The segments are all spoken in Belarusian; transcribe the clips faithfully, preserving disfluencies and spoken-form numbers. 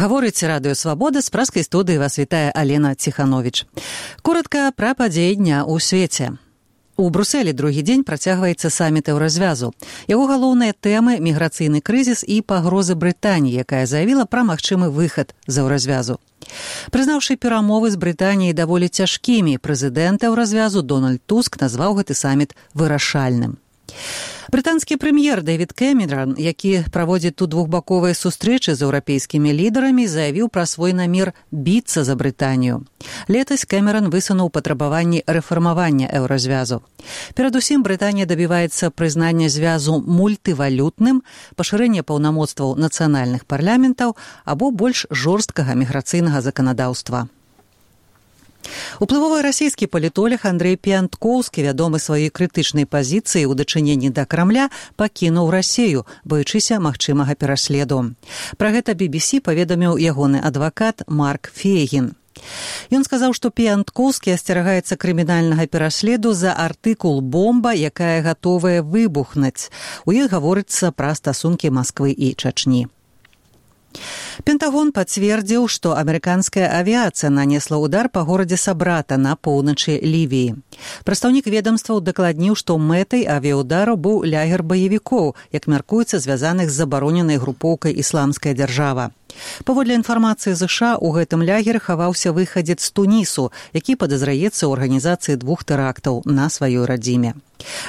Гаворыць радыё «Свабода», з праскай студыі вас вітае Алена Ціхановіч. Коротка пра падзеі дня ў свеце. У Брусэлі другі дзень працягваецца саміт Еўразвязу. Яго галоўныя тэмы – міграцыйны крызіс і пагрозы Брытаніі, якая заявіла пра магчымы выхад з Еўразвязу. Прызнаўшы перамовы з Брытаніяй даволі цяжкімі, прэзідэнт Еўразвязу Дональд Туск назваў гэты саміт вырашальным. Брытанскі прэм'ер Дэвід Кэмеран, які праводзіць тут двухбаковыя сустрэчы з еўрапейскімі лідарамі, заявіў пра свой намер біцца за Брытанію. Летась Кэмеран высунуў патрабаванні рэфармавання еўразвязу. Перадусім, Брытанія дабіваецца прызнання звязу мультывалютным, пашырэння паўнамоцтваў нацыянальных парламентаў або больш жорсткага міграцыйнага заканадаўства. Уплывовы расійскі палітолог Андрэй Піянткоўскі, вядомы сваёй крытычнай пазіцыі ў дачыненні да Крамля, пакінуў Расію, баючыся магчымага пераследу. Пра гэта би би сі паведаміў ягоны адвакат Марк Фейгін. Ён сказаў, што Піянткоўскі асцерагаецца крымінальнага пераследу за артыкул «Бомба, якая гатовая выбухнуць». У іх гаворыцца пра стасункі Масквы і Чачні. Пентагон пацвердзіў, што амерыканская авіяцыя нанесла ўдар па горадзе Сабрата на поўначы Лівіі. Прадстаўнік ведамства ўдакладніў, што мэтай авіяўдару быў лагер баевікоў, як мяркуецца, звязаных з забароненай групоўкай «Ісламская дзяржава». Паводле інфармацыі ЗША, у гэтым лагеры хаваўся выхадзец з Тунісу, які падазраецца ў арганізацыі двух тэрактаў на сваёй радзіме.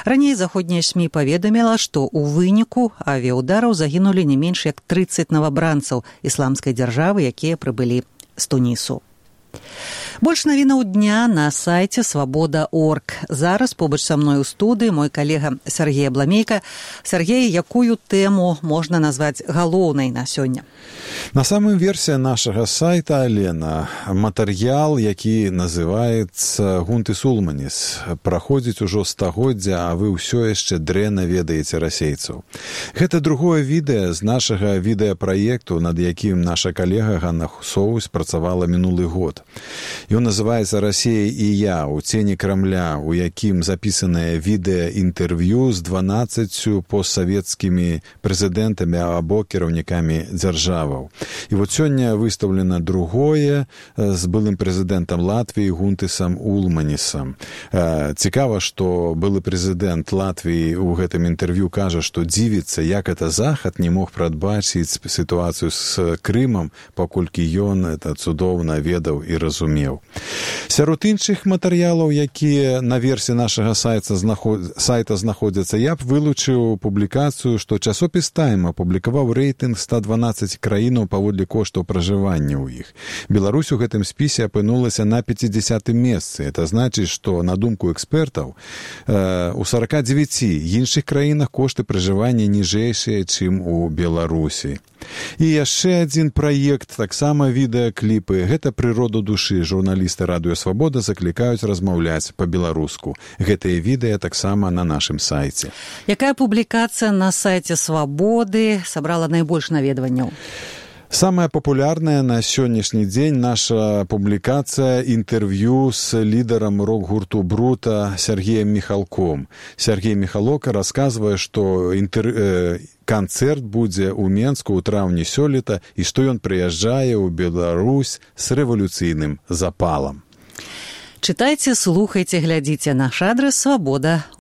Раней заходняя СМІ паведаміла, што ў выніку авіяўдараў загінулі не менш як трыццаць навабранцаў ісламскай дзяржавы, якія прыбылі з Тунісу. Больш навінаў дня на сайце свабода точка орг. Зараз побач са мной у студыі мой калега Сергей Абламейка. Сергей, якую тэму можна назваць галоўнай на сёння? На самым версе нашага сайта, Алена, матэрыял, які называецца «Гунтыс Улманіс». Праходзіць ужо стагоддзя, а вы ўсё яшчэ дрэнна ведаеце расейцаў. Гэта другое відэа з нашага відэапраекту, над якім наша калега Ганна Хусоўвась працавала мінулы год. Ён называецца «Расія і я» у цені Крамля, у якім запісанае відэаінтэрв'ю з дванаццаццю постсавецкімі прэзідэнтамі або кіраўнікамі дзяржаваў. І вот сёння выстаўлена другое з былым прэзідэнтам Латвіі Гунтысам Улманісам. Цікава, што былы прэзідэнт Латвіі ў гэтым інтэрв'ю кажа, што дзівіцца, як это Захад не мог прадбачыць сітуацыю з Крымам, паколькі ён это цудоўна ведаў і разумеў. Сярод іншых матэрыялаў, якія на версе нашага сайта, знаход... сайта знаходзяцца, я б вылучыў публікацыю, што часопіс «Тайм» апублікаваў рэйтынг ста дванаццаць краінаў паводле коштаў пражывання ў іх. Беларусь у гэтым спісе апынулася на пяцідзясятым месцы. Это значыць, што, на думку экспертаў, э, у сарака дзевяці іншых краінах кошты пражывання ніжэйшыя, чым у Беларусі. І яшчэ адзін праект, таксама відэакліпы. Гэта «Прырода душы». Журналісты радыё «Свабода» заклікаюць размаўляць па-беларуску. Гэтыя відэа таксама на нашым сайце. Якая публікацыя на сайце «Свабоды» сабрала найбольш наведванняў? Самая папулярная на сённяшні дзень наша публікацыя інтэрв'ю з лідарам рок-гурту «Брута» Сергеем Міхалком. Сергей Міхалок расказвае, што інтэр... э, канцэрт будзе ў Менску ў траўні сёлета і што ён прыязджае ў Беларусь з рэвалюцыйным запалам. Чытайце, слухайце, глядзіце. Наш адрас свабода